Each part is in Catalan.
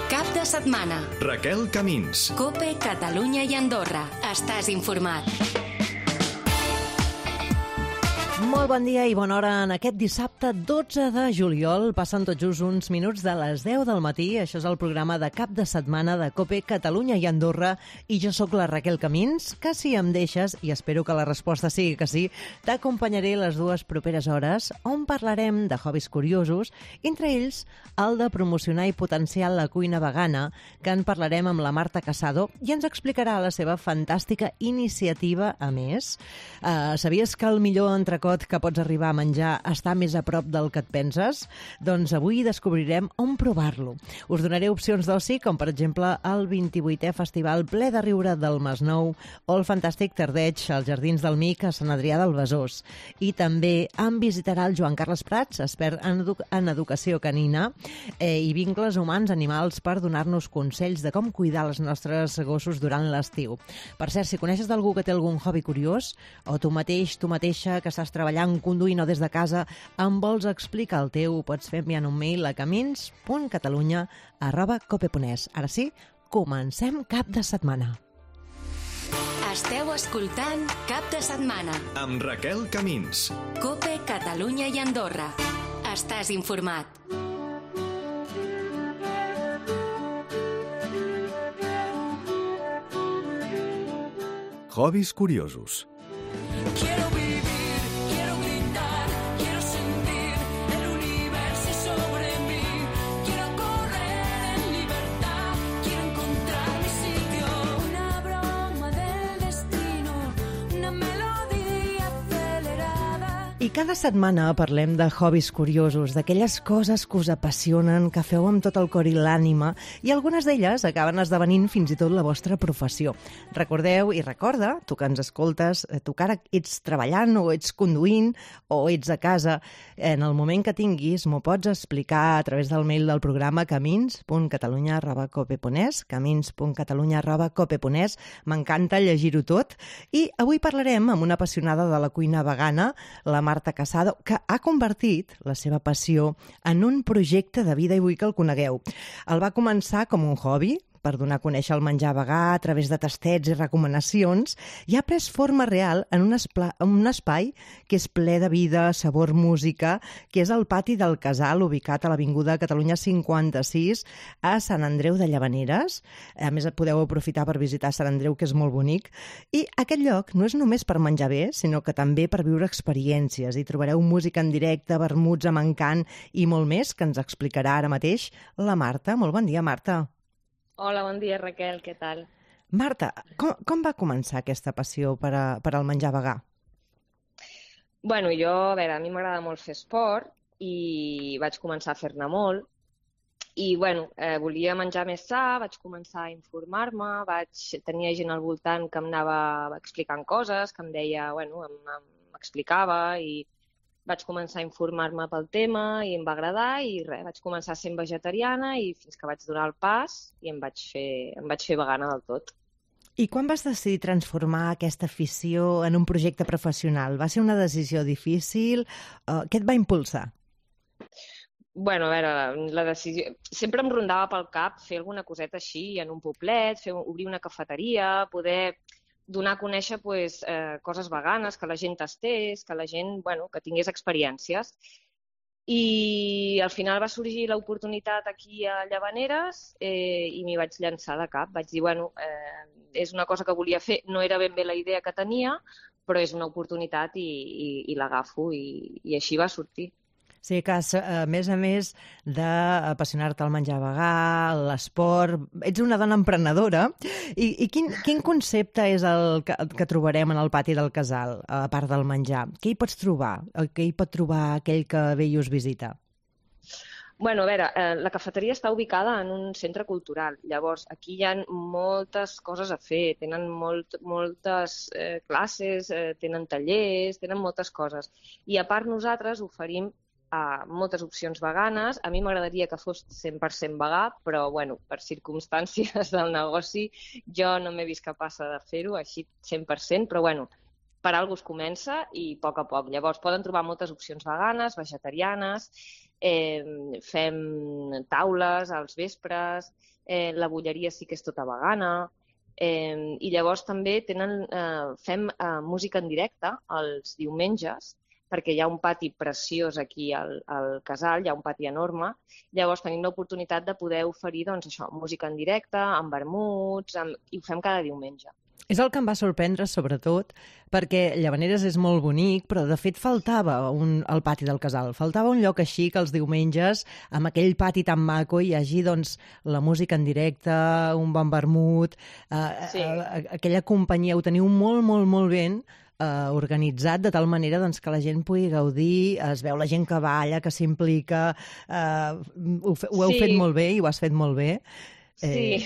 Cap de setmana. Raquel Camins. COPE, Catalunya i Andorra. Estàs informat. Molt bon dia i bona hora en aquest dissabte 12 de juliol. Passen tot just uns minuts de les 10 del matí. Això és el programa de cap de setmana de COPE, Catalunya i Andorra. I jo sóc la Raquel Camins, que si em deixes, i espero que la resposta sigui que sí, t'acompanyaré les dues properes hores on parlarem de hobbies curiosos, entre ells el de promocionar i potenciar la cuina vegana, que en parlarem amb la Marta Casado i ens explicarà la seva fantàstica iniciativa a més. Sabies que el millor entrecot que pots arribar a menjar està més a prop del que et penses? Doncs avui descobrirem on provar-lo. Us donaré opcions d'oci, com per exemple el 28è Festival Ple de Riure del Masnou o el fantàstic Tardeig als Jardins del Mic a Sant Adrià del Besòs. I també em visitarà el Joan Carles Prats, expert en educació canina i vincles humans-animals, per donar-nos consells de com cuidar els nostres gossos durant l'estiu. Per cert, si coneixes d'algú que té algun hobby curiós, o tu mateix, tu mateixa, que estàs treballant, conduint o des de casa, em vols explicar el teu, pots fer enviant un mail a camins.catalunya@cope.es. Ara sí, comencem cap de setmana. Esteu escoltant Cap de setmana. Amb Raquel Camins. COPE, Catalunya i Andorra. Estàs informat. Hobbies curiosos. Quiero vivir, quiero gritar, quiero sentir el universo sobre mí. Quiero correr en libertad, quiero encontrar mi sitio. Una broma del destino, una melodía acelerada. I cada setmana parlem de hobbies curiosos, d'aquelles coses que us apassionen, que feu amb tot el cor i l'ànima, i algunes d'elles acaben esdevenint fins i tot la vostra professió. Recordeu i recorda, tu que ens escoltes, tu que ara ets treballant o ets conduint o ets a casa, en el moment que tinguis m'ho pots explicar a través del mail del programa camins.catalunya@cope.es, camins.catalunya@cope.es. M'encanta llegir-ho tot. I avui parlarem amb una apassionada de la cuina vegana, la Marta Casado, que ha convertit la seva passió en un projecte de vida i vull que el conegueu. El va començar com un hobby, per donar a conèixer el menjar vegà a través de tastets i recomanacions, i ha pres forma real en un espai que és ple de vida, sabor, música, que és el pati del Casal, ubicat a l'Avinguda Catalunya 56, a Sant Andreu de Llavaneres. A més, podeu aprofitar per visitar Sant Andreu, que és molt bonic. I aquest lloc no és només per menjar bé, sinó que també per viure experiències. Hi trobareu música en directe, vermuts amb encant i molt més, que ens explicarà ara mateix la Marta. Molt bon dia, Marta. Hola, bon dia, Raquel, què tal? Marta, com va començar aquesta passió per al menjar vegà? Bueno, jo, a veure, a mi m'agrada molt fer esport i vaig començar a fer-ne molt. I, bueno, volia menjar més sa, vaig començar a informar-me, tenia gent al voltant que em anava explicant coses, que em deia, bueno, m'explicava i vaig començar a informar-me pel tema i em va agradar i res, vaig començar sent vegetariana i fins que vaig donar el pas i em vaig fer vegana del tot. I quan vas decidir transformar aquesta afició en un projecte professional? Va ser una decisió difícil? Què et va impulsar? Bueno, a veure, la decisió... Sempre em rondava pel cap fer alguna coseta així en un poblet, obrir una cafeteria, poder donar a conèixer coses veganes, que la gent tastés, que la gent que tingués experiències. I al final va sorgir l'oportunitat aquí a Llavaneres i m'hi vaig llançar de cap. Vaig dir, és una cosa que volia fer, no era ben bé la idea que tenia, però és una oportunitat i l'agafo i així va sortir. Sí, que a més d'apassionar-te al menjar vegà, l'esport, ets una dona emprenedora. I quin concepte és el que trobarem en el pati del Casal, a part del menjar? Què hi pots trobar? Què hi pot trobar aquell que ve i us visita? Bueno, a veure, la cafeteria està ubicada en un centre cultural. Llavors, aquí hi ha moltes coses a fer. Tenen moltes classes, tenen tallers, tenen moltes coses. I a part nosaltres oferim moltes opcions veganes. A mi m'agradaria que fos 100% vegà, però per circumstàncies del negoci jo no m'he vist capaç de fer-ho així 100%, però per alguna cosa es comença i a poc. Llavors poden trobar moltes opcions veganes, vegetarianes, fem taules als vespres, la bolleria sí que és tota vegana, i llavors també fem música en directe els diumenges, perquè hi ha un pati preciós aquí al casal, hi ha un pati enorme, llavors tenim l'oportunitat de poder oferir doncs, això, música en directe, amb vermuts, i ho fem cada diumenge. És el que em va sorprendre, sobretot, perquè Llavaneres és molt bonic, però de fet faltava al pati del casal. Faltava un lloc així que els diumenges, amb aquell pati tan maco, hi hagi doncs, la música en directe, un bon vermut, aquella companyia, ho teniu molt, molt, molt ben organitzat de tal manera doncs, que la gent pugui gaudir, es veu la gent que balla, que s'implica, ho heu fet molt bé i ho has fet molt bé. Sí,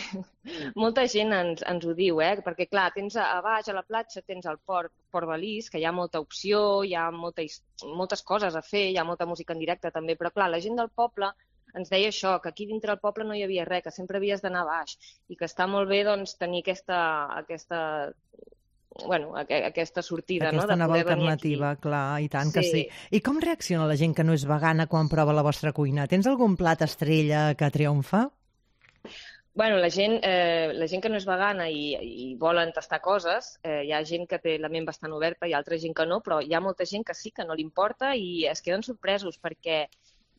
molta gent ens ho diu, perquè clar, tens a baix a la platja, tens el Port Balís, que hi ha molta opció, hi ha moltes coses a fer, hi ha molta música en directe també, però clar, la gent del poble ens deia això, que aquí dintre del poble no hi havia res, que sempre havies d'anar a baix, i que està molt bé doncs, tenir aquesta sortida, no? Aquesta nova alternativa, clar, i tant que sí. I com reacciona la gent que no és vegana quan prova la vostra cuina? Tens algun plat estrella que triomfa? Bueno, la gent que no és vegana i volen tastar coses, hi ha gent que té la ment bastant oberta i altra gent que no, però hi ha molta gent que sí, que no li importa i es queden sorpresos perquè,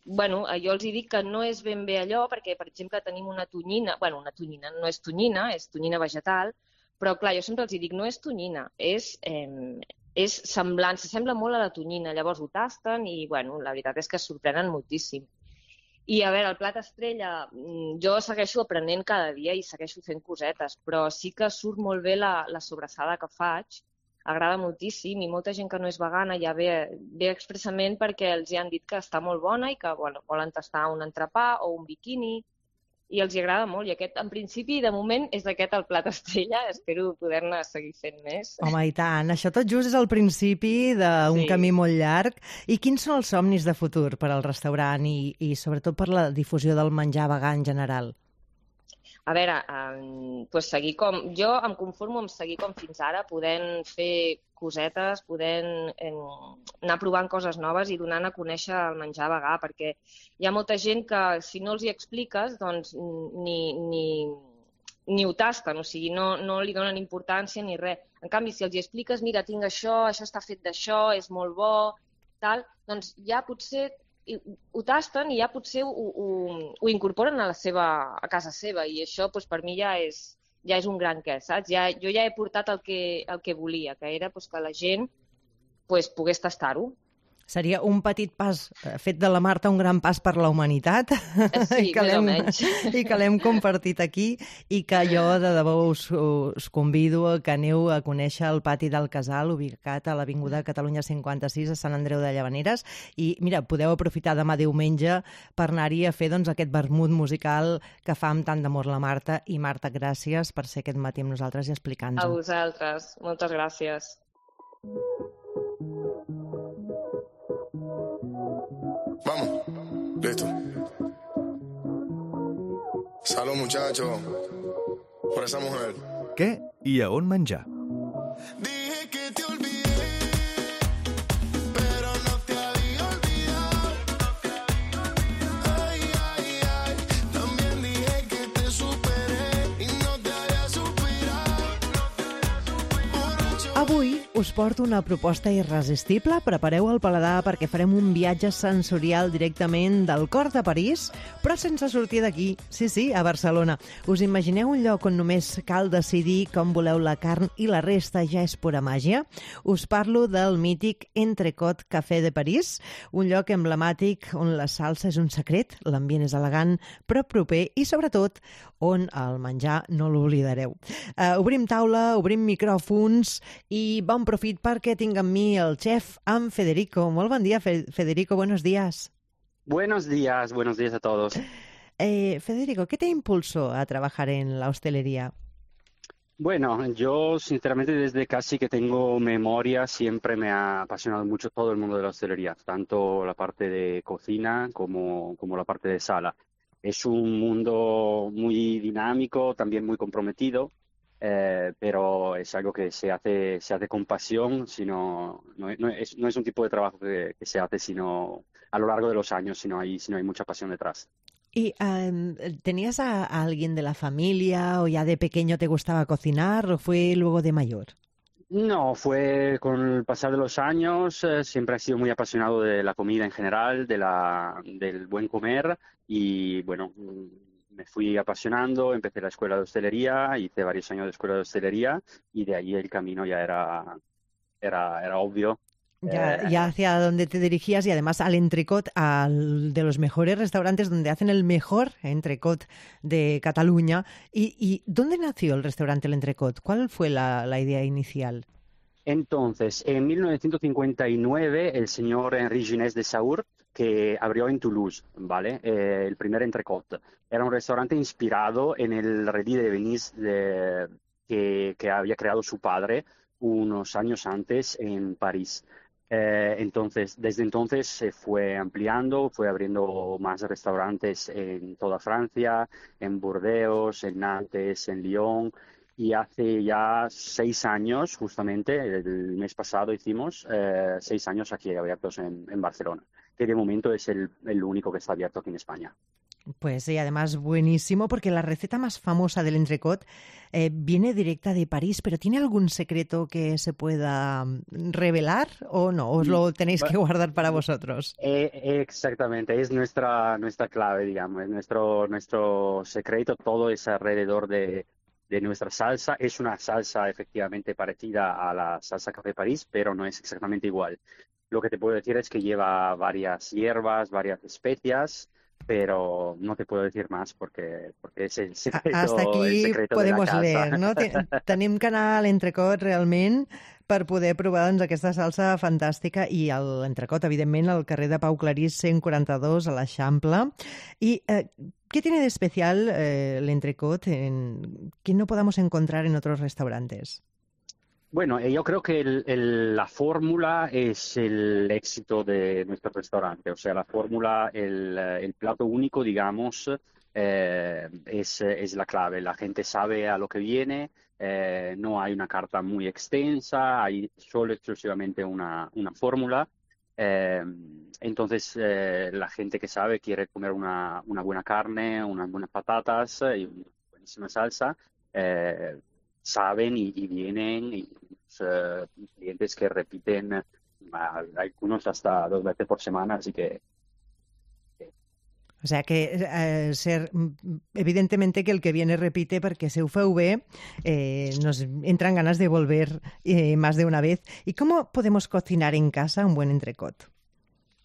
bueno, jo els dic que no és ben bé allò perquè, per exemple, tenim una tonyina, una tonyina no és tonyina vegetal, però clar, jo sempre els dic, no és tonyina, és semblant, s'assembla molt a la tonyina, llavors ho tasten i, bueno, la veritat és que es sorprenen moltíssim. I, a veure, el plat estrella, jo segueixo aprenent cada dia i segueixo fent cosetes, però sí que surt molt bé la sobrassada que faig, agrada moltíssim i molta gent que no és vegana ja ve expressament perquè els hi han dit que està molt bona i que volen tastar un entrepà o un biquini i els hi agrada molt. I aquest, en principi, de moment, és aquest el plat estrella. Espero poder-ne seguir fent més. Home, i tant. Això tot just és el principi d'un camí molt llarg. I quins són els somnis de futur per al restaurant i sobretot per la difusió del menjar vegà en general? A veure, seguir jo em conformo amb seguir com fins ara, podent fer cosetes, podent anar provant coses noves i donant a conèixer el menjar vegà, perquè hi ha molta gent que si no els hi expliques doncs ni ho tasten, o sigui, no li donen importància ni res. En canvi, si els hi expliques, mira, tinc això està fet d'això, és molt bo, tal, doncs ja potser ho tasten i ja potser ho incorporen a casa seva i això doncs, per mi ja és un gran què, saps? Jo ja he portat el que volia, que era doncs, que la gent pogués tastar-ho. Seria un petit pas fet de la Marta, un gran pas per la humanitat. Sí, més o menys. I que l'hem compartit aquí i que jo de debò us convido que aneu a conèixer el pati del Casal, ubicat a l'Avinguda Catalunya 56 a Sant Andreu de Llavaneres. I mira, podeu aprofitar demà diumenge per anar-hi a fer aquest vermut musical que fa amb tant d'amor la Marta. I Marta, gràcies per ser aquest matí amb nosaltres i explicar-nos-ho. A vosaltres. Moltes gràcies. Vamos, listo. Salud, muchachos, por esa mujer. Què i a on menjar? Dije que te olvidé, pero no te había olvidado. Ay, ay, ay, también dije que te superé y no te había superado. Avui us porto una proposta irresistible. Prepareu el paladar perquè farem un viatge sensorial directament del cor de París, però sense sortir d'aquí. Sí, a Barcelona. Us imagineu un lloc on només cal decidir com voleu la carn i la resta ja és pura màgia? Us parlo del mític Entrecot Café de París, un lloc emblemàtic on la salsa és un secret, l'ambient és elegant, però proper i, sobretot, on el menjar no l'oblidareu. Obrim taula, obrim micròfons i bon profit perquè tinc amb mi el xef, en Federico. Molt bon dia, Federico, buenos días. Buenos días a todos. Federico, ¿qué te impulsó a trabajar en la hostelería? Bueno, yo sinceramente desde casi que tengo memoria siempre me ha apasionado mucho todo el mundo de la hostelería, tanto la parte de cocina como la parte de sala. Es un mundo muy dinámico, también muy comprometido. pero es algo que se hace con pasión, sino, no es un tipo de trabajo que se hace sino a lo largo de los años, si no hay mucha pasión detrás. ¿Y tenías a alguien de la familia o ya de pequeño te gustaba cocinar o fue luego de mayor? No, fue con el pasar de los años, siempre he sido muy apasionado de la comida en general, del buen comer y bueno, me fui apasionando, empecé la escuela de hostelería, hice varios años de escuela de hostelería y de ahí el camino ya era obvio. Ya hacia dónde te dirigías y además al Entrecot, de los mejores restaurantes donde hacen el mejor entrecot de Cataluña. ¿Y dónde nació el restaurante El Entrecot? ¿Cuál fue la idea inicial? Entonces, en 1959, el señor Henri Ginés de Saur, que abrió en Toulouse, ¿vale? El primer entrecot. Era un restaurante inspirado en el Redí de Venise que había creado su padre unos años antes en París. Entonces, desde entonces se fue ampliando, fue abriendo más restaurantes en toda Francia, en Burdeos, en Nantes, en Lyon. Y hace ya 6 años, justamente, el mes pasado hicimos 6 años aquí abiertos en Barcelona, que de momento es el único que está abierto aquí en España. Pues sí, además buenísimo, porque la receta más famosa del entrecot viene directa de París, pero ¿tiene algún secreto que se pueda revelar o no? ¿Os lo tenéis que guardar para vosotros? Exactamente, es nuestra clave, digamos, es nuestro secreto, todo es alrededor de nuestra salsa. Es una salsa efectivamente parecida a la salsa Café París, pero no es exactamente igual. Lo que te puedo decir es que lleva varias hierbas, varias especias, pero no te puedo decir más porque es el secreto. Hasta aquí podemos leer, no? Tenim que anar a l'entrecot realment per poder provar doncs, aquesta salsa fantàstica i l'entrecot, evidentment, al carrer de Pau Clarís 142 a l'Eixample. I ¿qué tiene de especial el entrecot que no podamos encontrar en otros restaurantes? Bueno, yo creo que la fórmula es el éxito de nuestro restaurante. O sea, la fórmula, el plato único, digamos, es la clave. La gente sabe a lo que viene, no hay una carta muy extensa, hay solo exclusivamente una fórmula. Entonces, la gente que sabe quiere comer una buena carne, unas buenas patatas y una buenísima salsa. Saben y vienen y clientes que repiten algunos hasta 2 veces por semana, así que o sea que evidentemente que el que viene repite porque se feu bé, nos entran ganas de volver más de una vez. ¿Y cómo podemos cocinar en casa un buen entrecot?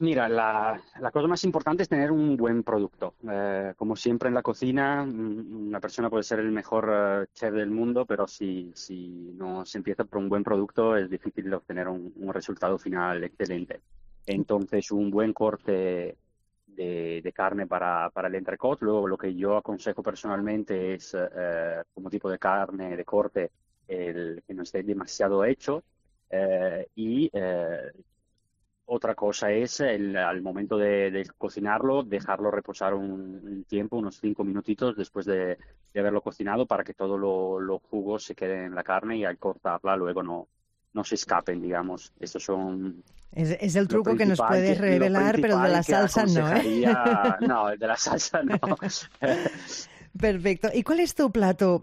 Mira, la cosa más importante es tener un buen producto. Como siempre en la cocina, una persona puede ser el mejor chef del mundo, pero si no se empieza por un buen producto es difícil obtener un resultado final excelente. Entonces, un buen corte de carne para el entrecot. Luego, lo que yo aconsejo personalmente es, como tipo de carne, de corte, que no esté demasiado hecho y... Otra cosa es, al momento de cocinarlo, dejarlo reposar un tiempo, unos 5 minutitos después de haberlo cocinado para que todos los jugos se queden en la carne y al cortarla luego no se escapen, digamos. Estos son... Es el truco que nos puedes revelar, pero el de la salsa no, ¿eh? No, el de la salsa no. Perfecto. ¿Y cuál es tu plato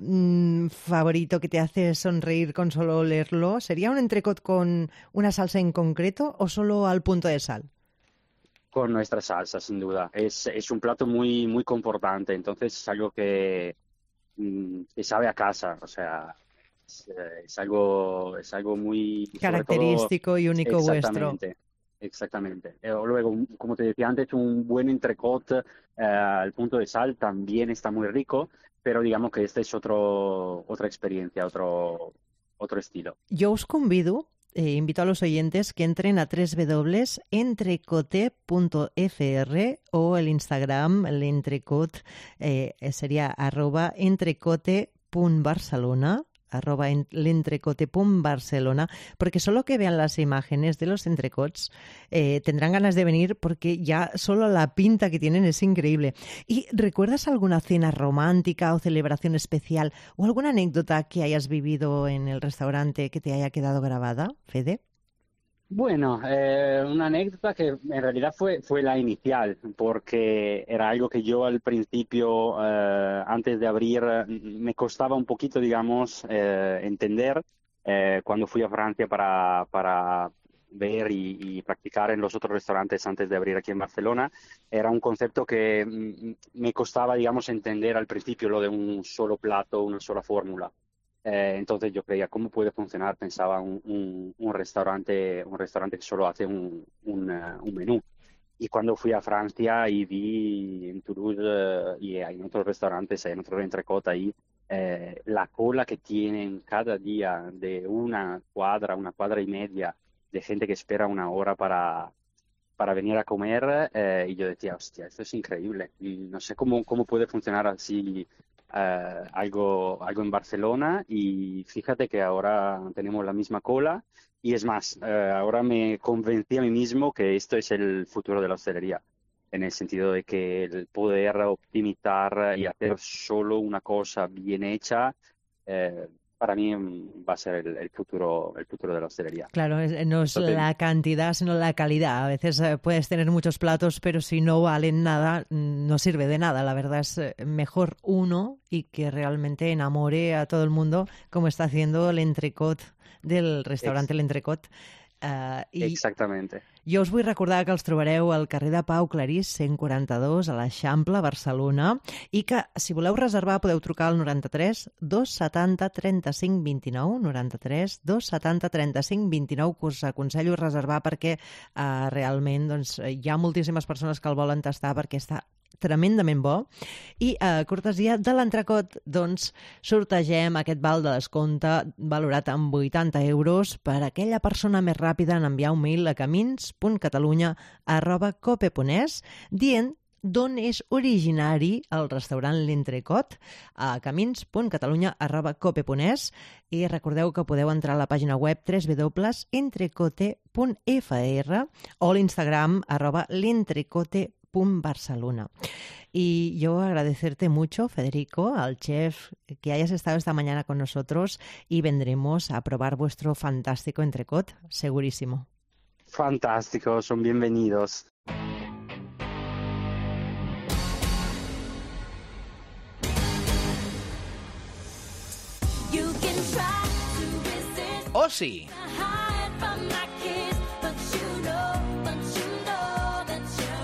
favorito que te hace sonreír con solo olerlo? ¿Sería un entrecot con una salsa en concreto o solo al punto de sal? Con nuestra salsa, sin duda. Es un plato muy, muy confortante, entonces es algo que sabe a casa, o sea, es algo muy... característico todo, y único vuestro. Exactamente. Luego, como te decía antes, un buen entrecot al punto de sal también está muy rico, pero digamos que esta es otra experiencia, otro estilo. Yo os convido, invito a los oyentes que entren a www.entrecote.fr o el Instagram, el entrecot, sería @entrecote.barcelona. @lentrecote.barcelona, porque solo que vean las imágenes de los entrecots tendrán ganas de venir porque ya solo la pinta que tienen es increíble. ¿Y recuerdas alguna cena romántica o celebración especial o alguna anécdota que hayas vivido en el restaurante que te haya quedado grabada, Fede? Bueno, una anécdota que en realidad fue la inicial, porque era algo que yo al principio, antes de abrir, me costaba un poquito, digamos, entender cuando fui a Francia para ver y practicar en los otros restaurantes antes de abrir aquí en Barcelona. Era un concepto que me costaba, digamos, entender al principio, lo de un solo plato, una sola fórmula. Entonces yo creía, ¿cómo puede funcionar? Pensaba un restaurante que solo hace un menú. Y cuando fui a Francia y vi en Toulouse y en otros restaurantes, en otros entrecot ahí, la cola que tienen cada día de una cuadra y media de gente que espera una hora para venir a comer, y yo decía, hostia, esto es increíble. Y no sé cómo puede funcionar así algo en Barcelona, y fíjate que ahora tenemos la misma cola y es más, ahora me convencí a mí mismo que esto es el futuro de la hostelería, en el sentido de que el poder optimizar y hacer solo una cosa bien hecha, para mí va a ser el futuro de la hostelería. Claro, no es la cantidad, sino la calidad. A veces puedes tener muchos platos, pero si no valen nada, no sirve de nada. La verdad es mejor uno y que realmente enamore a todo el mundo, como está haciendo el entrecot del restaurante El Entrecot. Exactamente. Jo us vull recordar que els trobareu al carrer de Pau Clarís 142 a l'Eixample, Barcelona, i que si voleu reservar podeu trucar al 93 270 35 29, 93 270 35 29, que us aconsello reservar perquè realment doncs, hi ha moltíssimes persones que el volen tastar perquè està tremendament bo. I a cortesia de l'entrecot, doncs, sortegem aquest val de descompte valorat en 80 euros per a aquella persona més ràpida en enviar un mail a camins.catalunya@cope.es dient d'on és originari el restaurant L'Entrecot, a camins.catalunya@cope.es, i recordeu que podeu entrar a la pàgina web www.entrecote.fr o l'Instagram @l'entrecote.barcelona. Y yo agradecerte mucho, Federico, al chef, que hayas estado esta mañana con nosotros, y vendremos a probar vuestro fantástico entrecot, segurísimo. Fantástico, son bienvenidos. You can try to resist Oci. hide from my kiss, but you know that you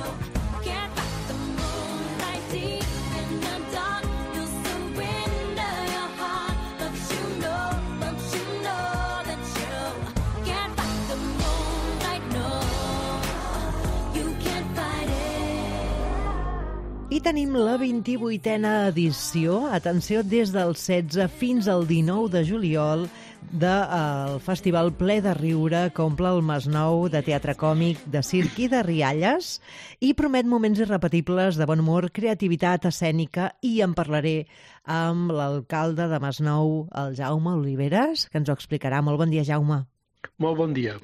can't fight the moonlight deep in the dark. You surrender your heart, but you know that you can't fight the moonlight. No, you can't fight it. I tenim la 28a edició, atenció, des del 16 fins al 19 de juliol, del Festival Ple de Riure, que omple el Masnou de teatre còmic, de circ i de rialles, i promet moments irrepetibles de bon humor, creativitat escènica, i en parlaré amb l'alcalde de Masnou, el Jaume Oliveres, que ens ho explicarà. Molt bon dia, Jaume. Molt bon dia.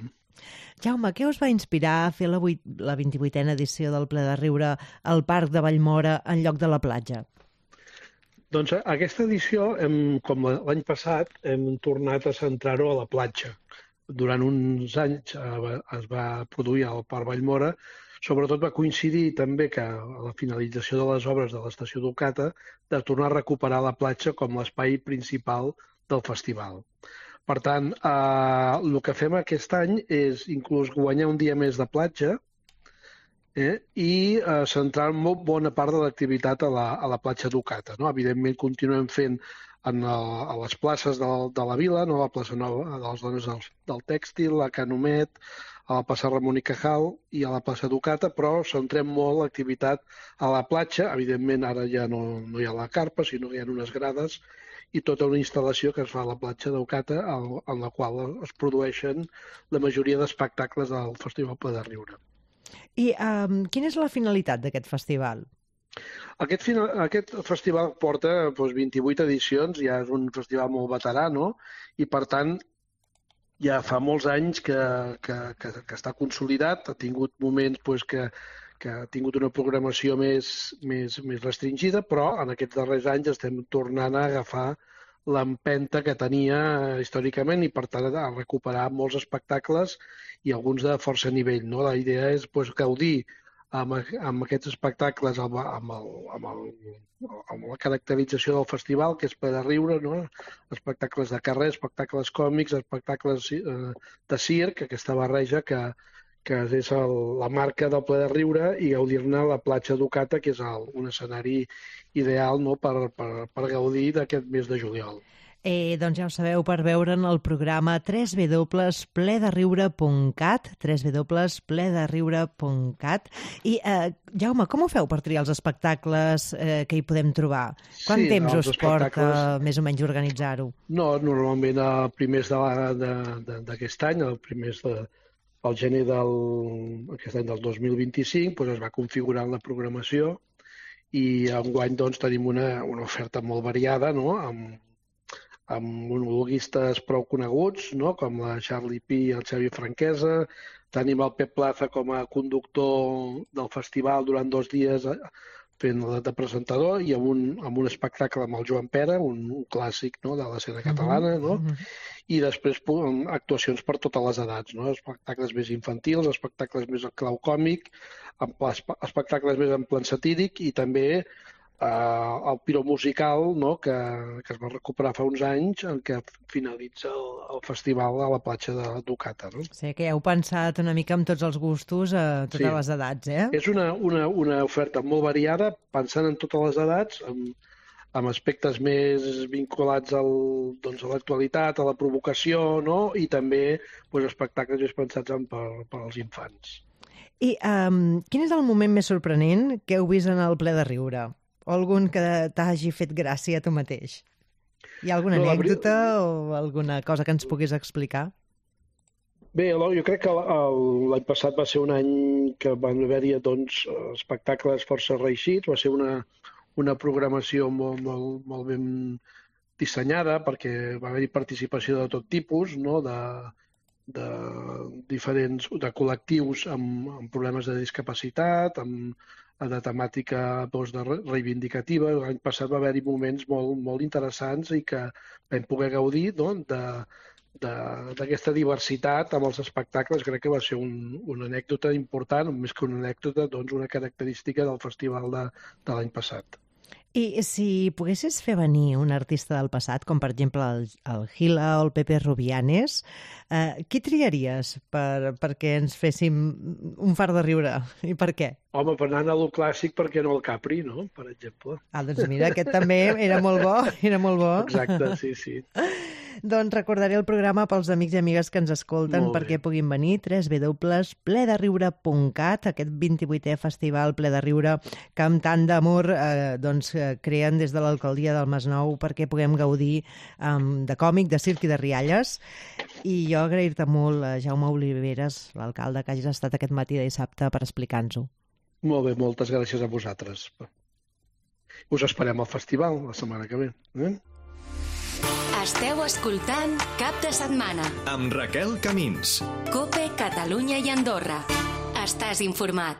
Jaume, què us va inspirar a fer la 28a edició del Ple de Riure al Parc de Vallmora en lloc de la platja? Doncs aquesta edició, com l'any passat, hem tornat a centrar-ho a la platja. Durant uns anys es va produir al Parc Vallmora. Sobretot va coincidir també que a la finalització de les obres de l'estació d'Ocata de tornar a recuperar la platja com l'espai principal del festival. Per tant, el que fem aquest any és inclús guanyar un dia més de platja i centrar molt bona part de l'activitat a la platja d'Ocata. No? Evidentment, continuem fent a les places de la vila, no? La plaça Nova de les Dones del Tèxtil, la Canomet, a la plaça Ramon i Cajal i a la plaça d'Ocata, però centrem molt l'activitat a la platja. Evidentment, ara ja no hi ha la carpa, sinó que hi ha unes grades i tota una instal·lació que es fa a la platja d'Ocata, en la qual es produeixen la majoria d'espectacles del Festival Ple de Riure. I quina és la finalitat d'aquest festival? Aquest festival porta 28 edicions, ja és un festival molt veterà, no? I per tant ja fa molts anys que està consolidat, ha tingut moments que ha tingut una programació més restringida, però en aquests darrers anys estem tornant a agafar l'empenta que tenia històricament i, per tant, a recuperar molts espectacles i alguns de força nivell, no? La idea és gaudir amb aquests espectacles, amb la caracterització del festival, que és ple de riure, no? Espectacles de carrer, espectacles còmics, espectacles de circ, aquesta barreja que és la marca del ple de riure, i gaudir-ne a la platja Ducata, que és un escenari ideal, no? per gaudir d'aquest mes de juliol. Doncs ja ho sabeu, per veure'n el programa www.plederiure.cat, www.plederiure.cat. I, Jaume, com ho feu per triar els espectacles que hi podem trobar? Quant temps us porta més o menys organitzar-ho? No, normalment a primers d'aquest any, a primers al gener d'aquest any del 2025, es va configurant la programació i enguany tenim una oferta molt variada, no? amb monologuistes prou coneguts, no? Com la Charlie Pi i el Xavi Franquesa. Tenim el Pep Plaza com a conductor del festival durant 2 dies fent de presentador, i amb un espectacle amb el Joan Pera, un clàssic, no? De l'escena catalana, no? I després actuacions per totes les edats, no? Espectacles més infantils, espectacles més en clau còmic, espectacles més en plan satíric, i també el Piro musical, no? que es va recuperar fa uns anys, en què finalitza el festival a la platja de Ducata. No? Sí, que heu pensat una mica amb tots els gustos a totes les edats, eh? És una oferta molt variada, pensant en totes les edats, amb aspectes més vinculats a l'actualitat, a la provocació, no? I també espectacles més pensats per als infants. I quin és el moment més sorprenent que heu vist en el Ple de Riure? O algun que t'hagi fet gràcia a tu mateix? Hi ha alguna anècdota o alguna cosa que ens puguis explicar? Bé, jo crec que l'any passat va ser un any que van haver-hi espectacles força reeixits, va ser una programació molt ben dissenyada, perquè va haver-hi participació de tot tipus, no? de col·lectius amb problemes de discapacitat, de temàtica reivindicativa. L'any passat va haver-hi moments molt interessants i que vam poder gaudir, no? d'aquesta diversitat amb els espectacles. Crec que va ser una anècdota important, més que una anècdota, una característica del festival de l'any passat. I si poguessis fer venir un artista del passat, com per exemple el Gila o el Pepe Rubianes, qui triaries perquè ens féssim un fart de riure? I per què? Home, per anar a lo clàssic, per què no el Capri, no? Per exemple. Doncs mira, aquest també era molt bo, Exacte, sí. Doncs recordaré el programa pels amics i amigues que ens escolten perquè puguin venir, www.plederiure.cat, aquest 28è festival Ple de Riure que amb tant d'amor creen des de l'alcaldia del Masnou perquè puguem gaudir de còmic, de circ i de rialles. I jo agrair-te molt, Jaume Oliveres, l'alcalde, que hagis estat aquest matí de dissabte per explicar-nos-ho. Molt bé, moltes gràcies a vosaltres. Us esperem al festival la setmana que ve. Esteu escoltant Cap de Setmana amb Raquel Camins. Cope, Catalunya i Andorra. Estàs informat.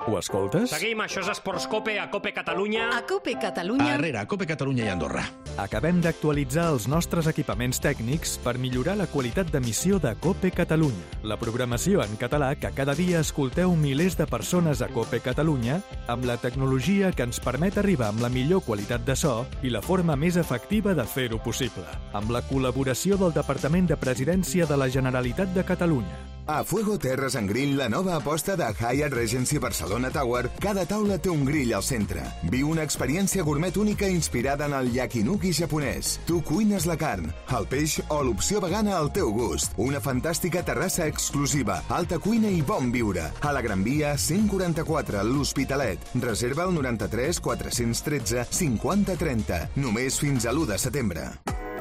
Ho escoltes? Seguim, això és Esports Cope, a Cope Catalunya. A Cope Catalunya. Arrere, Cope Catalunya i Andorra. Acabem d'actualitzar els nostres equipaments tècnics per millorar la qualitat d'emissió de Cope Catalunya, la programació en català que cada dia escolteu milers de persones a Cope Catalunya, amb la tecnologia que ens permet arribar amb la millor qualitat de so i la forma més efectiva de fer-ho possible, amb la col·laboració del Departament de Presidència de la Generalitat de Catalunya. A Fuego Terres and Grill, la nova aposta de Hyatt Regency Barcelona Tower, cada taula té un grill al centre. Viu una experiència gourmet única inspirada en el yakinuki japonès. Tu cuines la carn, el peix o l'opció vegana al teu gust. Una fantàstica terrassa exclusiva, alta cuina i bon viure. A la Gran Via 144, l'Hospitalet. Reserva al 93 413 50 30. Només fins a l'1 de setembre.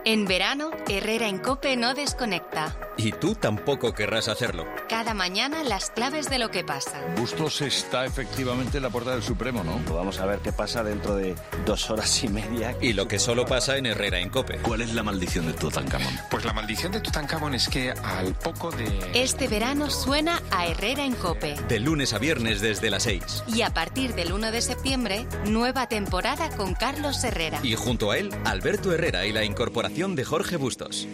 En verano, Herrera en Cope no desconecta. Y tú tampoco querrás hacerlo. Cada mañana las claves de lo que pasa. Bustos está efectivamente en la puerta del Supremo, ¿no? Vamos a ver qué pasa dentro de 2 horas y media. Y lo que solo pasa en Herrera en COPE. ¿Cuál es la maldición de Tutankamón? Pues la maldición de Tutankamón es que al poco de... Este verano suena a Herrera en COPE. De lunes a viernes desde las 6. Y a partir del 1 de septiembre, nueva temporada con Carlos Herrera. Y junto a él, Alberto Herrera y la incorporación de Jorge Bustos.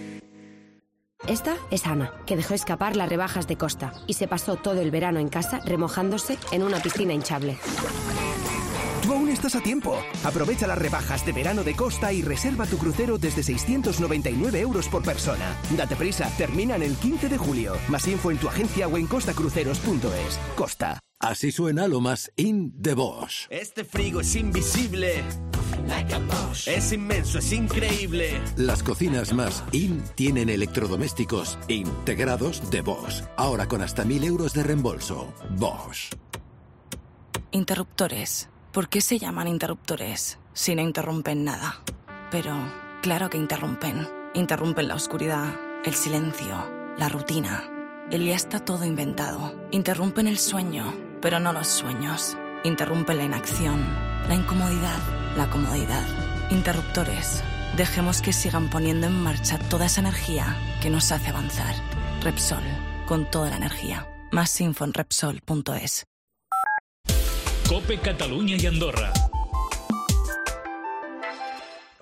Esta es Ana, que dejó escapar las rebajas de Costa y se pasó todo el verano en casa remojándose en una piscina hinchable. Tú aún estás a tiempo. Aprovecha las rebajas de verano de Costa y reserva tu crucero desde 699 € por persona. Date prisa, terminan el 15 de julio. Más info en tu agencia o en costacruceros.es. Costa. Así suena lo más in de Bosch. Este frigo es invisible. Es inmenso, es increíble. Las cocinas más in tienen electrodomésticos integrados de Bosch. Ahora con hasta 1.000 € de reembolso. Bosch. Interruptores. ¿Por qué se llaman interruptores si no interrumpen nada? Pero claro que interrumpen. Interrumpen la oscuridad, el silencio, la rutina. El ya está todo inventado. Interrumpen el sueño, pero no los sueños. Interrumpen la inacción, la incomodidad, la comodidad. Interruptores. Dejemos que sigan poniendo en marcha toda esa energía que nos hace avanzar. Repsol, con toda la energía. Más info en Repsol.es. COPE Cataluña y Andorra.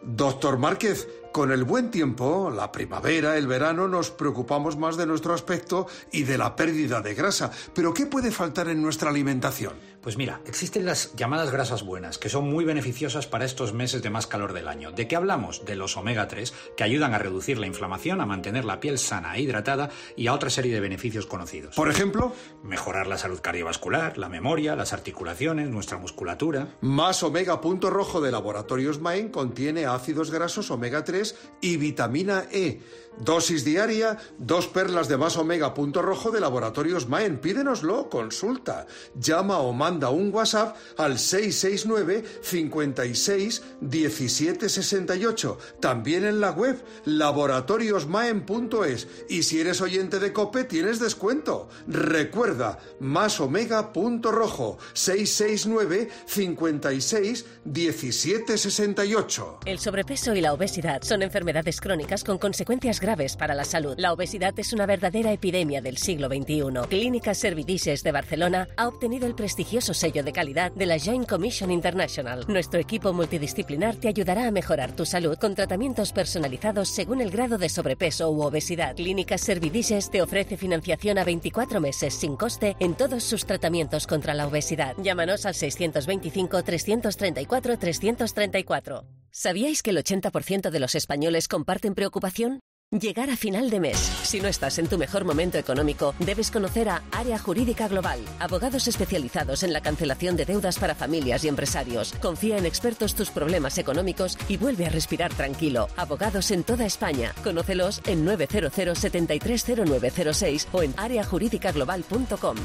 Doctor Márquez, con el buen tiempo, la primavera, el verano, nos preocupamos más de nuestro aspecto y de la pérdida de grasa. ¿Pero qué puede faltar en nuestra alimentación? Pues mira, existen las llamadas grasas buenas, que son muy beneficiosas para estos meses de más calor del año. ¿De qué hablamos? De los omega 3, que ayudan a reducir la inflamación, a mantener la piel sana e hidratada y a otra serie de beneficios conocidos. Por ejemplo, mejorar la salud cardiovascular, la memoria, las articulaciones, nuestra musculatura. Más Omega Punto Rojo de Laboratorios Maen contiene ácidos grasos omega 3 y vitamina E. Dosis diaria, 2 perlas de Más Omega Punto Rojo de Laboratorios Maen. Pídenoslo, consulta. Llama o manda un WhatsApp al 669 56 17 68. También en la web laboratoriosmaen.es. Y si eres oyente de COPE, tienes descuento. Recuerda, Más Omega Punto Rojo, 669 56 17 68. El sobrepeso y la obesidad son enfermedades crónicas con consecuencias graves para la salud. La obesidad es una verdadera epidemia del siglo XXI. Clínica Servidices de Barcelona ha obtenido el prestigioso sello de calidad de la Joint Commission International. Nuestro equipo multidisciplinar te ayudará a mejorar tu salud con tratamientos personalizados según el grado de sobrepeso u obesidad. Clínica Servidices te ofrece financiación a 24 meses sin coste en todos sus tratamientos contra la obesidad. Llámanos al 625 334 334. ¿Sabíais que el 80% de los españoles comparten preocupación? Llegar a final de mes. Si no estás en tu mejor momento económico, debes conocer a Área Jurídica Global, abogados especializados en la cancelación de deudas para familias y empresarios. Confía en expertos tus problemas económicos y vuelve a respirar tranquilo. Abogados en toda España. Conócelos en 900 730906 o en areajuridicaglobal.com.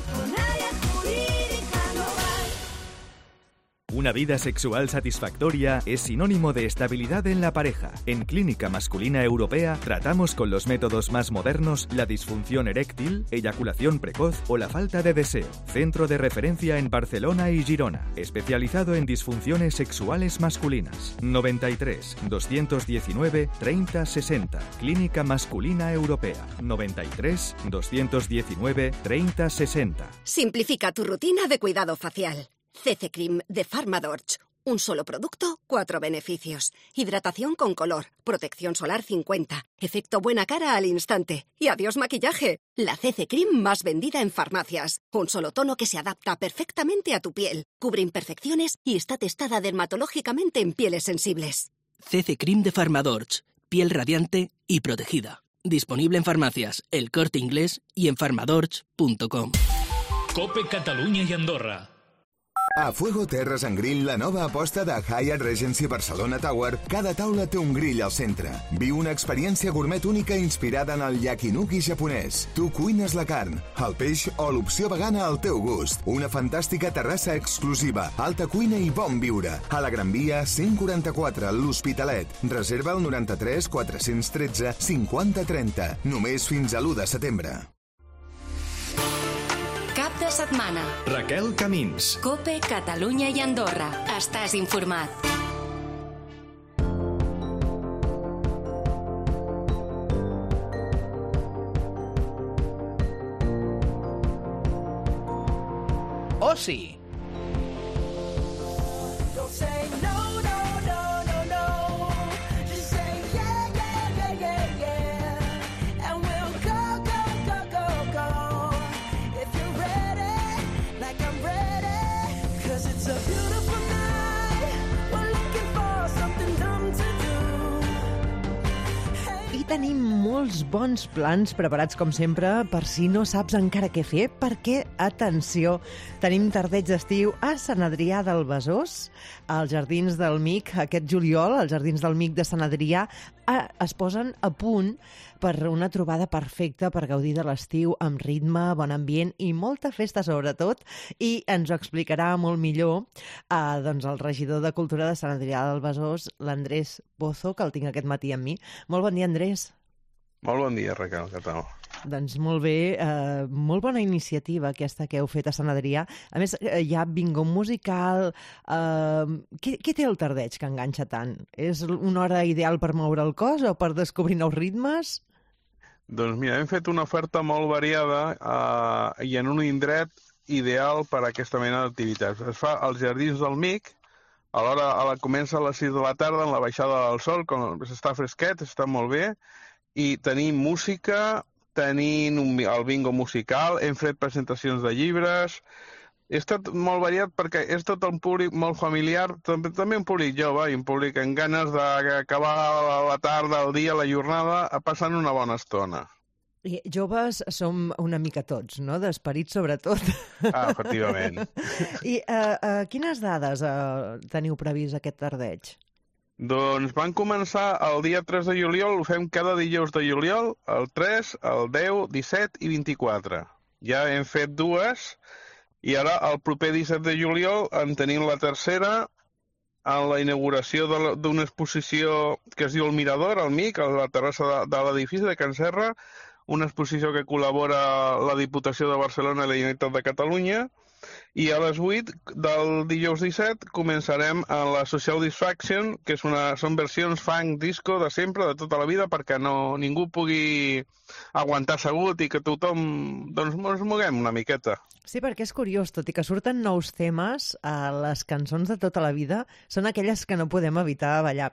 Una vida sexual satisfactoria es sinónimo de estabilidad en la pareja. En Clínica Masculina Europea tratamos con los métodos más modernos la disfunción eréctil, eyaculación precoz o la falta de deseo. Centro de referencia en Barcelona y Girona, especializado en disfunciones sexuales masculinas. 93 219 30 60. Clínica Masculina Europea. 93 219 30 60. Simplifica tu rutina de cuidado facial. CC Cream de Pharmadorch. Un solo producto, 4 beneficios. Hidratación con color, protección solar 50, efecto buena cara al instante y adiós maquillaje. La CC Cream más vendida en farmacias. Un solo tono que se adapta perfectamente a tu piel, cubre imperfecciones y está testada dermatológicamente en pieles sensibles. CC Cream de Pharmadorch. Piel radiante y protegida. Disponible en farmacias, El Corte Inglés y en pharmadorch.com. COPE Cataluña y Andorra. A Fuego Terres and Grill, la nova aposta de Hyatt Regency Barcelona Tower, cada taula té un grill al centre. Viu una experiència gourmet única inspirada en el yakinuki japonès. Tu cuines la carn, el peix o l'opció vegana al teu gust. Una fantàstica terrassa exclusiva, alta cuina i bon viure. A la Gran Via 144, l'Hospitalet. Reserva el 93 413 50 30. Només fins a l'1 de setembre. Cap de setmana. Raquel Camins. COPE, Catalunya i Andorra. Estàs informat. Oci. Tenim molts bons plans preparats, com sempre, per si no saps encara què fer, perquè, atenció, tenim tardeig d'estiu a Sant Adrià del Besòs, als Jardins del Mig, aquest juliol, als Jardins del Mig de Sant Adrià, es posen a punt per una trobada perfecta per gaudir de l'estiu amb ritme, bon ambient i molta festa sobretot, i ens ho explicarà molt millor doncs el regidor de Cultura de Sant Adrià del Besòs, l'Andrés Pozo, que el tinc aquest matí amb mi. Molt bon dia, Andrés. Molt bon dia, Raquel, què tal? Doncs molt bé, molt bona iniciativa aquesta que heu fet a Sant Adrià. A més, hi ha bingo musical. Què té el tardeig que enganxa tant? És una hora ideal per moure el cos o per descobrir nous ritmes? Doncs mira, hem fet una oferta molt variada i en un indret ideal per a aquesta mena d'activitats. Es fa als Jardins del Mig, comença a les 6 de la tarda en la baixada del sol, quan està fresquet, està molt bé, i tenim música, tenim el bingo musical, hem fet presentacions de llibres. He estat molt variat perquè és tot un públic molt familiar, també un públic jove i un públic amb ganes d'acabar la tarda, el dia, la jornada, passant una bona estona. I joves som una mica tots, no? D'esperit sobretot. Efectivament. I quines dades teniu previst aquest tardeig? Doncs van començar el dia 3 de juliol, ho fem cada dijous de juliol, el 3, el 10, 17 i 24. Ja hem fet dues, i ara el proper 17 de juliol en tenim la tercera, en la inauguració d'una exposició que es diu El Mirador, al Mig, a la terrassa de l'edifici de Can Serra, una exposició que col·labora la Diputació de Barcelona i la Generalitat de Catalunya, i a les 8 del dijous 17 començarem a la Social Disfaction, que són versions funk disco de sempre, de tota la vida, perquè ningú pugui aguantar assegut i que tothom ens moguem una miqueta. Sí, perquè és curiós, tot i que surten nous temes, les cançons de tota la vida són aquelles que no podem evitar ballar.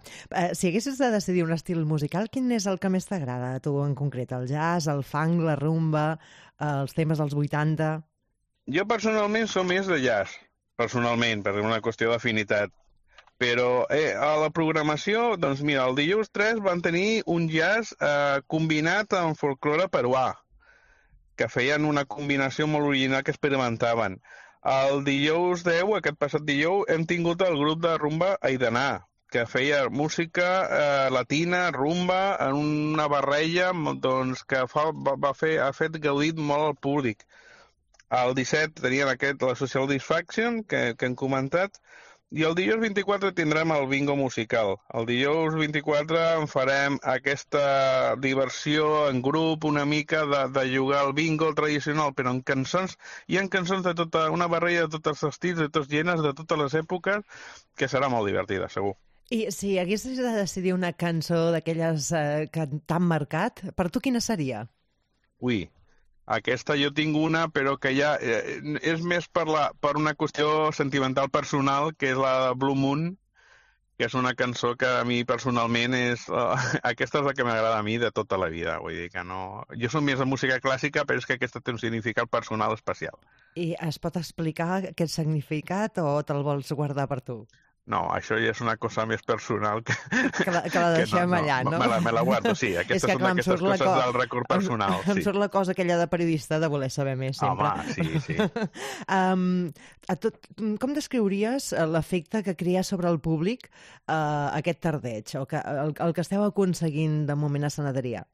Si haguessis de decidir un estil musical, quin és el que més t'agrada a tu en concret? El jazz, el funk, la rumba, els temes dels 80... Jo personalment som més de jazz, personalment, per una qüestió d'afinitat. Però a la programació, doncs mira, el dijous 3 van tenir un jazz combinat amb folklore peruà, que feien una combinació molt original que experimentaven. El dijous 10, aquest passat dijous, hem tingut el grup de rumba Aidaná, que feia música latina, rumba, en una barreja doncs, que ha fet gaudit molt al públic. El 17 tenien la Social Disfaction, que hem comentat, i el dijous 24 tindrem el bingo musical. El dijous 24 en farem aquesta diversió en grup, una mica de jugar al bingo tradicional, però en cançons. Hi ha cançons de una barreja de tots els estils, de tots gèneres, de totes les èpoques, que serà molt divertida, segur. I si haguessis de decidir una cançó d'aquelles que t'han marcat, per tu quina seria? Ui, aquesta jo tinc una, però que ja és més per una qüestió sentimental personal, que és la de Blue Moon, que és una cançó que a mi personalment aquesta és la que m'agrada a mi de tota la vida. Vull dir que no... Jo soc més de música clàssica, però és que aquesta té un significat personal especial. I es pot explicar aquest significat o te'l vols guardar per tu? No, això ja és una cosa més personal que la deixem allà, no? Me la guardo, sí. Aquestes són aquestes coses del record personal. Em surt la cosa aquella de periodista de voler saber més, sempre. Home, sí. Com descriuries l'efecte que crea sobre el públic aquest tardeig, o el que esteu aconseguint de moment a Sant Adrià?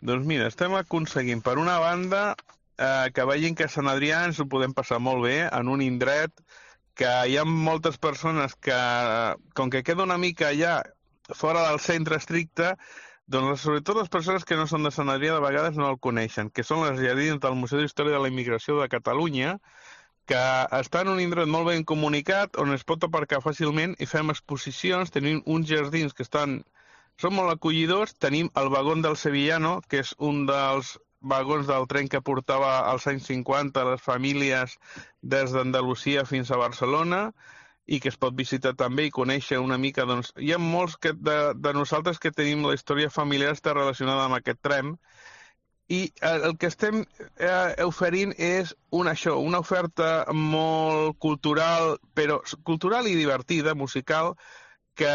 Doncs mira, estem aconseguint, per una banda, que vegin que a Sant Adrià ens ho podem passar molt bé en un indret que hi ha moltes persones que, com que queda una mica allà fora del centre estricte, doncs sobretot les persones que no són de Sant Adrià de vegades no el coneixen, que són les jardins del Museu d'Història de la Immigració de Catalunya, que està en un indret molt ben comunicat, on es pot aparcar fàcilment i fem exposicions. Tenim uns jardins que són molt acollidors. Tenim el vagón del Sevillano, que és un dels vagons del tren que portava als anys 50 les famílies des d'Andalusia fins a Barcelona i que es pot visitar també i conèixer una mica. Doncs, hi ha molts de nosaltres que tenim la història familiar està relacionada amb aquest tren i el que estem oferint és una oferta molt cultural, però cultural i divertida, musical, que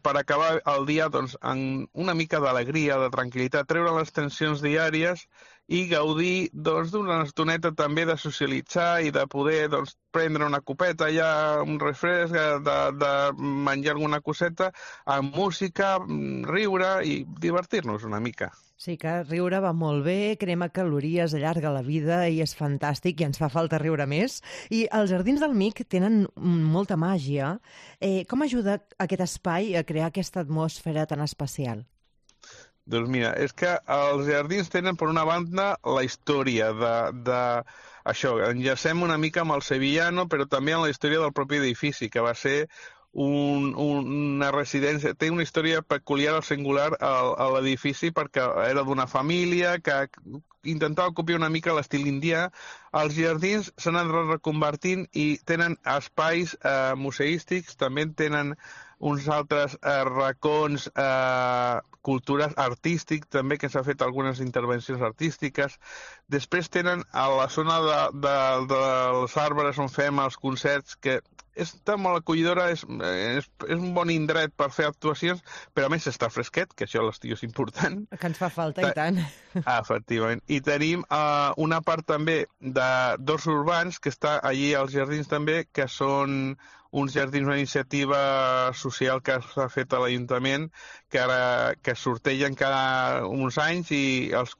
per acabar el dia doncs, amb una mica d'alegria, de tranquil·litat, treure les tensions diàries i gaudir d'una estoneta també de socialitzar i de poder prendre una copeta allà, un refresc, de menjar alguna coseta, amb música, riure i divertir-nos una mica. Sí, que riure va molt bé, crema calories, allarga la vida i és fantàstic i ens fa falta riure més. I els Jardins del Mig tenen molta màgia. Com ajuda aquest espai a crear aquesta atmosfera tan especial? Doncs mira, és que els jardins tenen, per una banda, la història d'això. Enllacem una mica amb el Sevillano, però també amb la història del propi edifici, que va ser una residència. Té una història peculiar o singular a l'edifici perquè era d'una família que intentava copiar una mica l'estil indià. Els jardins s'han anat reconvertint i tenen espais museístics, també tenen uns altres racons cultures artístics, també que s'ha fet algunes intervencions artístiques. Després tenen a la zona dels arbres on fem els concerts, que està molt acollidora, és un bon indret per fer actuacions, però a més està fresquet, que això a l'estiu és important. Que ens fa falta, i tant. Efectivament. I tenim una part també d'horts urbans, que està allí als jardins també, que són uns jardins, una iniciativa social que s'ha fet a l'Ajuntament, que sortegen cada uns anys i els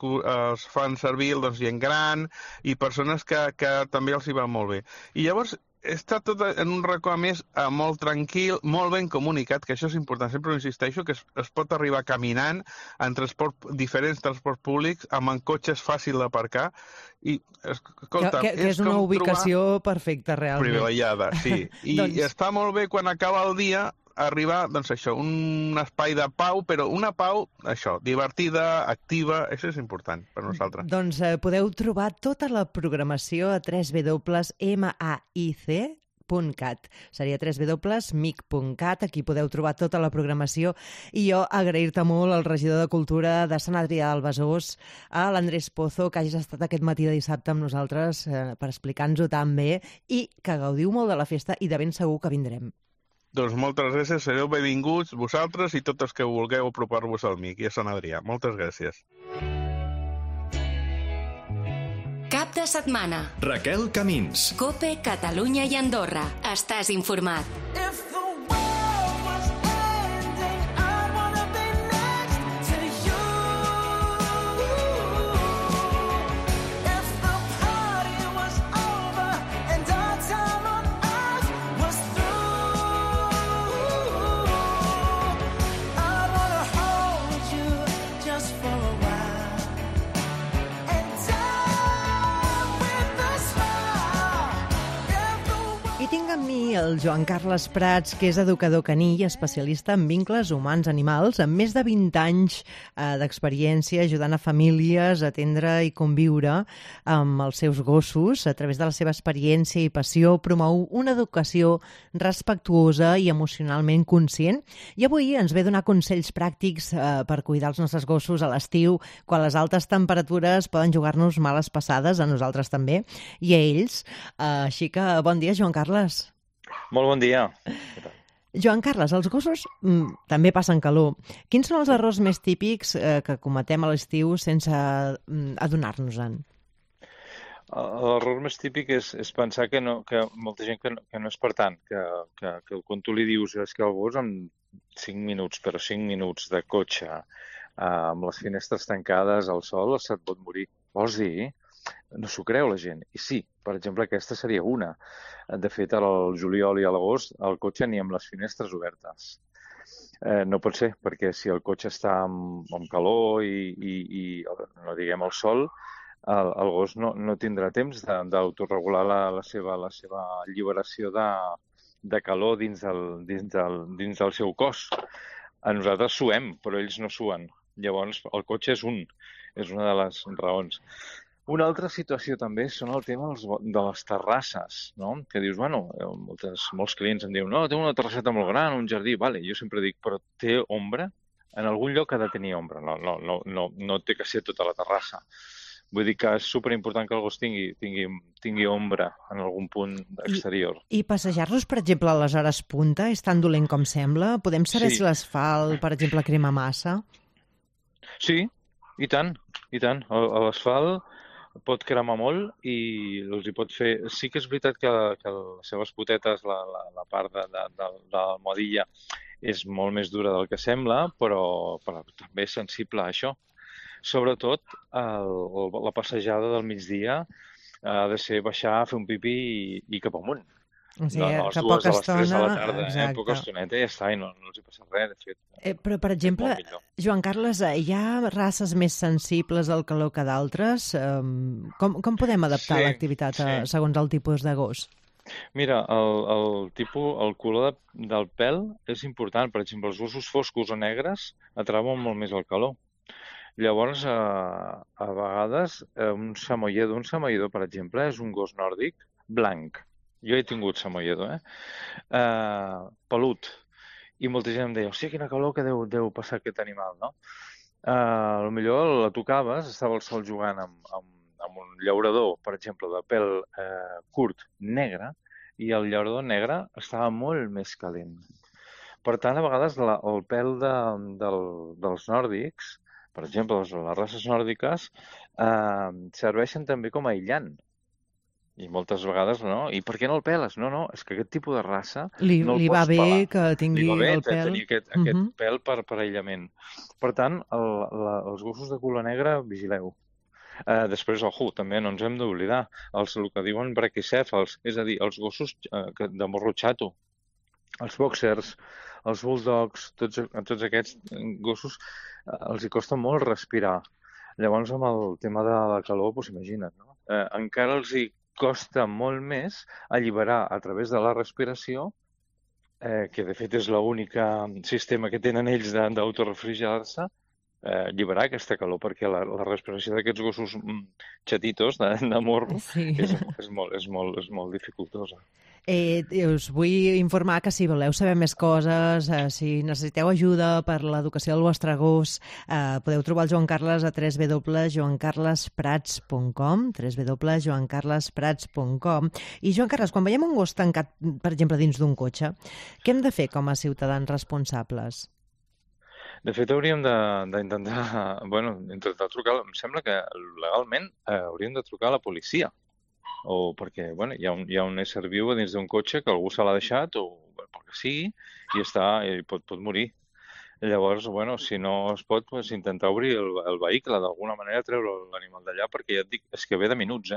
fan servir gent gran i persones que també els hi va molt bé. I llavors està tot en un racó, a més, molt tranquil, molt ben comunicat, que això és important. Sempre insisteixo que es pot arribar caminant en diferents transports públics, amb cotxes fàcil d'aparcar. I, escolta, que és una ubicació perfecta, realment. Privilegiada, sí. I està molt bé quan acaba el dia arribar, doncs això, un espai de pau, però una pau, això, divertida, activa, això és important per nosaltres. Doncs podeu trobar tota la programació a www.maic.cat. Seria www.mic.cat, aquí podeu trobar tota la programació. I jo agrair-te molt al regidor de Cultura de Sant Adrià del Besòs, a l'Andrés Pozo, que hagis estat aquest matí de dissabte amb nosaltres per explicar-nos-ho tan bé i que gaudiu molt de la festa i de ben segur que vindrem. Doncs moltes gràcies, sereu benvinguts vosaltres i tots els que vulgueu apropar-vos al MIC i a Sant Adrià. Moltes gràcies. Cap de setmana. Raquel Camins. COPE, Catalunya i Andorra. Estàs informat. Tinc amb mi el Joan Carles Prats, que és educador caní i especialista en vincles humans-animals, amb més de 20 anys d'experiència ajudant a famílies a atendre i conviure amb els seus gossos. A través de la seva experiència i passió promou una educació respectuosa i emocionalment conscient. I avui ens ve donar consells pràctics per cuidar els nostres gossos a l'estiu, quan les altes temperatures poden jugar-nos males passades, a nosaltres també, i a ells. Així que bon dia, Joan Carles. Molt bon dia. Joan Carles, els gossos també passen calor. Quins són els errors més típics que cometem a l'estiu sense adonar-nos-en? L'error més típic és pensar que molta gent que no és per tant, que quan tu li dius és que el gos en 5 minuts, però 5 minuts de cotxe amb les finestres tancades al sol se't pot morir. Vols dir? No s'ho creu la gent. I sí, per exemple, aquesta seria una. De fet, al juliol i a l'agost el cotxe ni amb les finestres obertes. No pot ser, perquè si el cotxe està amb calor i no diguem el sol, el gos no tindrà temps d'autoregular la seva alliberació de calor dins del seu cos. A nosaltres suem, però ells no suen. Llavors, el cotxe és una de les raons. Una altra situació també són el tema de les terrasses, no? Que dius, bueno, molts clients em diuen, no, té una terrasseta molt gran, un jardí, vale, jo sempre dic, però té ombra? En algun lloc ha de tenir ombra, no té que ser tota la terrassa. Vull dir que és superimportant que el gos tingui ombra en algun punt exterior. I passejar-los, per exemple, a les hores punta, és tan dolent com sembla? Podem saber si l'asfalt, per exemple, crema massa? Sí, i tant. L'asfalt pot cremar molt i els hi pot fer... Sí que és veritat que les seves potetes, la part de la modilla, és molt més dura del que sembla, però també és sensible a això. Sobretot, la passejada del migdia ha de ser baixar, fer un pipí i cap amunt. O sigui, que poca estona... A les 3 de la tarda, poca estoneta i ja està, i no els hi passa res, de fet. Però, per exemple, Joan Carles, hi ha races més sensibles al calor que d'altres? Com podem adaptar l'activitat segons el tipus de gos? Mira, el color del pèl és important. Per exemple, els gossos foscos o negres atrauen molt més el calor. Llavors, a vegades, un samoyedo, per exemple, és un gos nòrdic blanc. Jo he tingut samoyedo, pelut. I molta gent em deia, hòstia, quina calor que deu passar aquest animal, no? Potser la tocaves, estava al sol jugant amb un llaurador, per exemple, de pèl curt, negre, i el llaurador negre estava molt més calent. Per tant, a vegades el pèl dels nòrdics, per exemple, les races nòrdiques, serveixen també com a aïllant. I moltes vegades, no? I per què no el peles? No, és que aquest tipus de raça no el pots pelar. Li va bé que tingui el pèl. Tenir aquest pèl per aïllament. Per tant, els gossos de color negre, vigileu. Després, també no ens hem d'oblidar, el que diuen braquicèfals, és a dir, els gossos de morro xato, els boxers, els bulldogs, tots aquests gossos els hi costa molt respirar. Llavors, amb el tema de la calor, doncs imagina't, no? Encara els hi costa molt més alliberar a través de la respiració, que de fet és l'únic sistema que tenen ells d'autorefrigerar-se, alliberar aquesta calor, perquè la respiració d'aquests gossos xatitos de morro és molt dificultosa. Us vull informar que si voleu saber més coses, si necessiteu ajuda per l'educació del vostre gos, podeu trobar el Joan Carles a www.joancarlesprats.com www.joancarlesprats.com. I Joan Carles, quan veiem un gos tancat, per exemple, dins d'un cotxe, què hem de fer com a ciutadans responsables? De fet, hauríem d'intentar trucar, em sembla que legalment hauríem de trucar a la policia. O perquè hi ha un ésser viu dins d'un cotxe que algú se l'ha deixat o pel que sigui i pot morir. Llavors, si no es pot, intentar obrir el vehicle, d'alguna manera treure l'animal d'allà, perquè ja et dic, és que ve de minuts,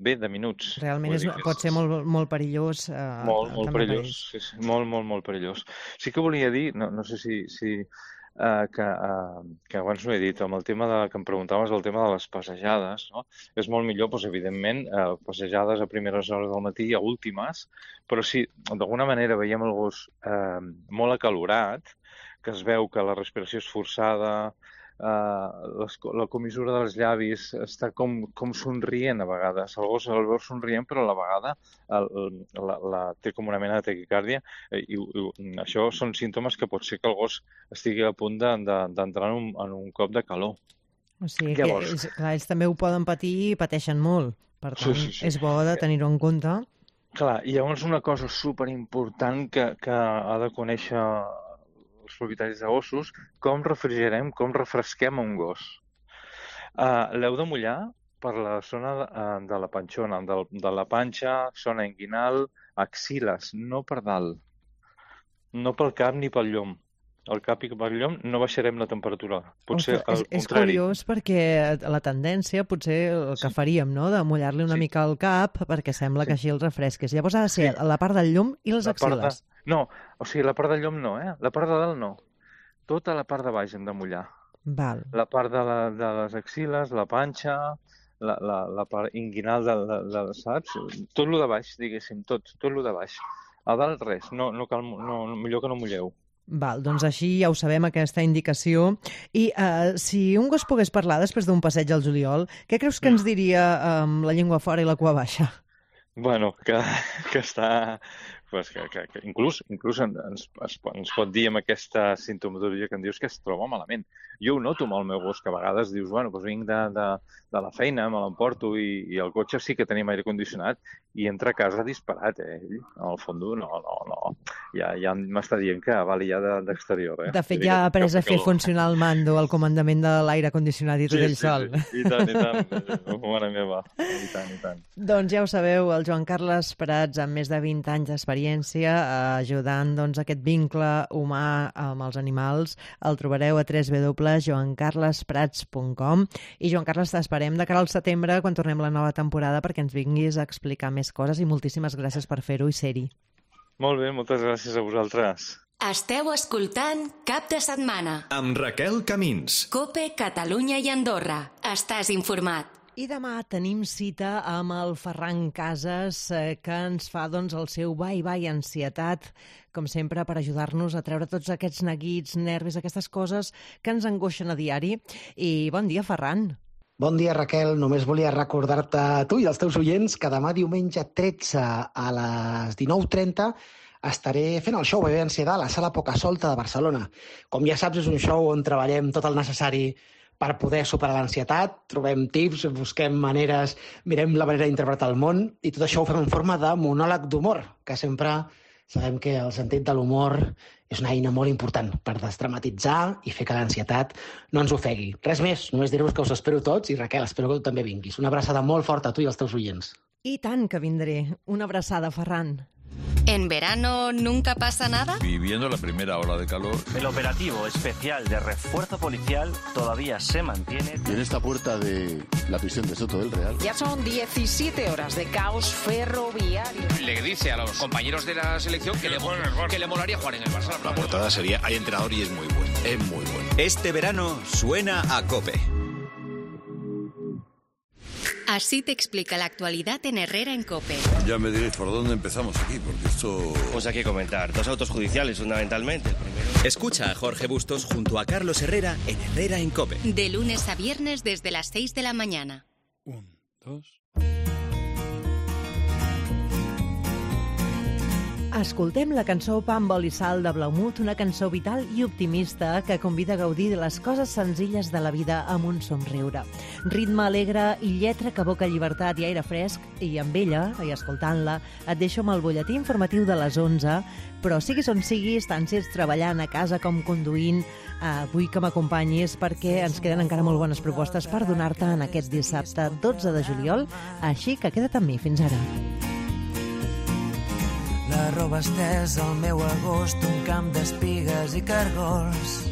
Ve de minuts. Realment pot ser molt perillós. Molt perillós, sí, molt perillós. Sí que volia dir, no sé si que abans no he dit, amb el tema que em preguntaves, el tema de les passejades, no? És molt millor, evidentment, passejades a primeres hores del matí i a últimes, però si d'alguna manera veiem el gos molt acalorat, que es veu que la respiració és forçada, la comissura dels llavis està com somrient a vegades. El gos el veu somrient, però a la vegada té com una mena de taquicàrdia i això són símptomes que pot ser que el gos estigui a punt d'entrar en un cop de calor. O sigui que ells també ho poden patir i pateixen molt. Per tant, és bo de tenir-ho en compte. Clar, hi ha una cosa superimportant que ha de conèixer els propietaris de gossos, com refrigerem, com refresquem un gos. L'heu de mullar per la zona de la panxona, de la panxa, zona inguinal, axiles, no per dalt. No pel cap ni pel llom. Al cap i pel llom no baixarem la temperatura. Potser al contrari. És curiós perquè la tendència, potser el que faríem, no?, de mullar-li una mica el cap perquè sembla que així el refresques. Llavors ha de ser la part del llom i les axiles. No, o sigui, la part del llom no, La part de dalt no. Tota la part de baix hem de mullar. Val. La part de les axiles, la panxa, la part inguinal saps? Tot el de baix, diguéssim, tot el de baix. A dalt res, millor que no mulleu. Val, doncs així ja ho sabem, aquesta indicació. I si un gos pogués parlar després d'un passeig al juliol, què creus que ens diria amb la llengua fora i la cua baixa? Bueno, que està... Pues que inclús ens pot dir amb aquesta sintomatologia que em dius que es troba malament. Jo ho noto amb el meu gos, que a vegades dius, bueno, doncs vinc de la feina, me l'emporto i el cotxe sí que tenim aire condicionat i entra a casa disparat, ell. Al fons, no. Ja m'està dient que vali ja d'exterior. De fet, ja ha après a fer funcionar el mando, el comandament de l'aire condicionat i tot ell sol. Sí, i tant. Mare meva, i tant. Doncs ja ho sabeu, el Joan Carles Prats, amb més de 20 anys d'experiència, ajudant aquest vincle humà amb els animals. El trobareu a www.joancarlesprats.com. I Joan Carles, t'esperem de cara al setembre, quan tornem la nova temporada, perquè ens vinguis a explicar més coses, i moltíssimes gràcies per fer-ho i ser-hi. Molt bé, moltes gràcies a vosaltres. Esteu escoltant Cap de Setmana amb Raquel Camins. COPE, Catalunya i Andorra. Estàs informat. I demà tenim cita amb el Ferran Casas, que ens fa el seu bye-bye ansietat, com sempre, per ajudar-nos a treure tots aquests neguits, nervis, aquestes coses que ens angoixen a diari. I bon dia, Ferran. Bon dia, Raquel. Només volia recordar-te a tu i als teus oients que demà diumenge 13 a les 19:30 estaré fent el show Bebé Ansietat a la Sala Pocasolta de Barcelona. Com ja saps, és un show on treballem tot el necessari per poder superar l'ansietat, trobem tips, busquem maneres, mirem la manera d'interpretar el món, i tot això ho fem en forma de monòleg d'humor, que sempre sabem que el sentit de l'humor és una eina molt important per desdramatitzar i fer que l'ansietat no ens ofegui. Res més, només dir-vos que us espero tots, i Raquel, espero que tu també vinguis. Una abraçada molt forta a tu i als teus oients. I tant que vindré. Una abraçada, Ferran. ¿En verano nunca pasa nada? Viviendo la primera ola de calor. El operativo especial de refuerzo policial todavía se mantiene. Y en esta puerta de la prisión de Soto del Real. Ya son 17 horas de caos ferroviario. Le dice a los compañeros de la selección que le molaría jugar en el Barça. La portada sería, hay entrenador y es muy bueno. Es muy bueno. Este verano suena a COPE. Así te explica la actualidad en Herrera en COPE. Ya me diréis por dónde empezamos aquí, porque esto... Pues hay que comentar. 2 autos judiciales, fundamentalmente. El primero... Escucha a Jorge Bustos junto a Carlos Herrera en Herrera en COPE. De lunes a viernes desde las 6 de la mañana. 1, 2... Escoltem la cançó Pa amb oli i sal de Blaumut, una cançó vital i optimista que convida a gaudir de les coses senzilles de la vida amb un somriure. Ritme alegre i lletra que evoca llibertat i aire fresc, i amb ella, i escoltant-la, et deixo amb el butlletí informatiu de les 11, però siguis on siguis, tant si ets treballant a casa com conduint, vull que m'acompanyis perquè ens queden encara molt bones propostes per donar-te en aquest dissabte 12 de juliol, així que queda't amb mi. Fins ara. La roba estès al meu agost, un camp d'espigues i cargols.